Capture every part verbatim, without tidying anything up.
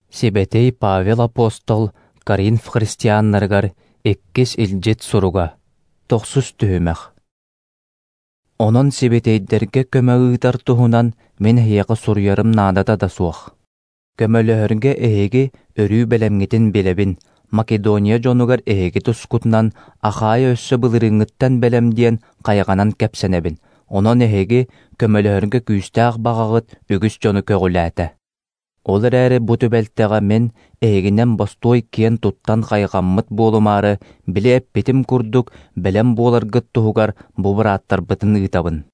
Сибэтий Павел апостол Коринф христианнарыгар иккис илдьит суруга, тохсус түһүмэх. Онон сибэтийдэргэ көмө ыытар туһунан мин эһиэхэ суруйарым наадата да суох. Көмөлөһөргө эһиги өрүү бэлэмҥитин билэбин, Македония дьонугар эһиги тускутунан Ахайа өссө былырыыҥҥыттан бэлэм диэн хайҕанан кэпсэнэбин. Онон эһиги көмөлөһөргө күүстээх баҕаҕыт үгүс дьону көҕүлээтэ. Ол эрээри бу түбэлтэҕэ мин эһигинэн бостуой киэн туттан хайҕаммыт буолумаары, били эппитим курдук бэлэм буоларгыт туһугар бу бырааттарбытын ыытабын.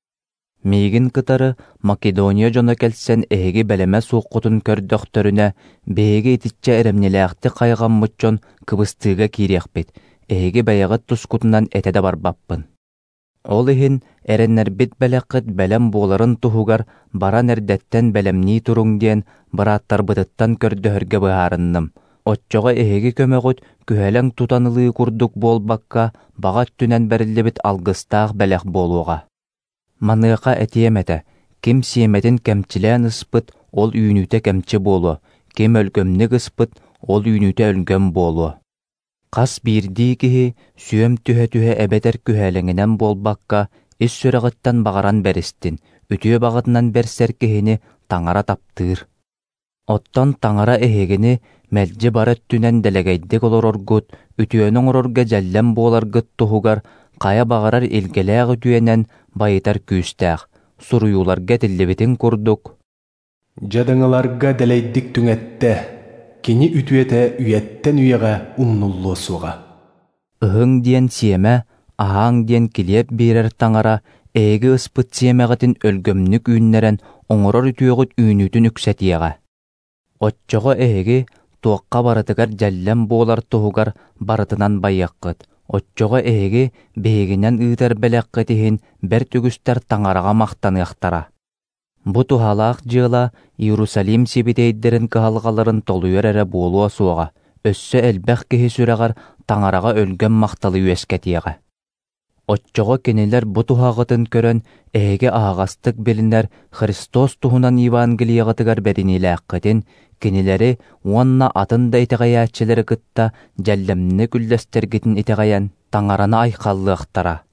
Миигин кытары Македония дьоно кэлсэн эһиги бэлэмэ суоххутун көрдөхтөрүнэ, биһиги итиччэ эрэмньилээхтик хайҕаммыт дьон кыбыстыыга киириэхпит, эһиги бэйэҕит тускутунан этэ да барбаппын. Ол иһин эрэннэрбит бэлэххит бэлэм буоларын туһугар баран эрдэттэн бэлэмнии туруҥ диэн бырааттарбытыттан көрдөһөргө быһаарынным. Оччоҕо эһиги көмөҕүт күһэлэҥ тутан ылыы курдук буолбакка, баҕа өттүнэн бэриллибит алгыстаах бэлэх буолуоҕа. Маныаха этиэм этэ, ким сиэмэтин кэмчилээн ыспыт, ол үүнүүтэ кэмчи буолуо, ким өлгөмнүк ыспыт, ол үүнүүтэ өлгөм буолуо. Хас биирдии киһи сүөм түһэ-түһэ эбэтэр күһэлэҥинэн буолбакка, ис сүрэҕиттэн баҕаран бэристин, үтүө баҕатынан бэрсэр киһини Таҥара таптыыр. Оттон Таҥара эһигини мэлдьи бары өттүнэн дэлэгэйдик олороргут, үтүөнү оҥорорго дьэллэм буоларгыт туһугар хайа баҕарар илгэлээх үтүөнэн байытар күүстээх, суруйууларга этиллибитин курдук Дьадаҥыларга дэлэйдик түҥэттэ, кини үтүөтэ үйэттэн үйэҕэ умнуллуо суоҕа. Ыһыҥ диэн сиэмэ, аһааҥ диэн килиэп биэрэр Таҥара эһиги ыспыт сиэмэҕитин өлгөмнүк үүннэрэн оҥорор үтүөҕүт үүнүүтүн үксэтиэҕэ. Оччоҕо эһиги туохха барытыгар дьэллэм буолар туһугар барытынан байыаххыт. Оччоҕо эһиги биһигинэн ыытар бэлэххит иһин бэрт үгүстэр Таҥараҕа махтаныахтара. Бу туһалаах дьыала Иерусалим сибэтийдэрин кыһалҕаларын толуйар эрэ буолуо суоҕа, өссө элбэх киһи сүрэҕэр Таҥараҕа өлгөм махталы үөскэтиэҕэ. Оччоҕо кинилэр бу туһаҕытын көрөн эһиги аһаҕастык билинэр Христос туһунан Евангелиеҕытыгар бэриниилээххитин, кинилэри уонна атын да итэҕэйээччилэри кытта дьэллэмник үллэстэргитин итэҕэйэн Таҥараны айхаллыахтара.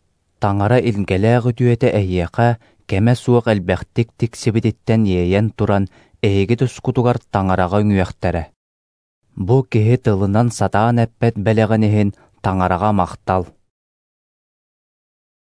Таҥара илгэлээх үтүөтэ эһиэхэ кэмэ суох элбэхтик тиксибититтэн иэйэн туран эһиги тускутугар Таҥараҕа үҥүөхтэрэ. Бу киһи тылынан сатаан эппэт бэлэҕин иһин Таҥараҕа махтал.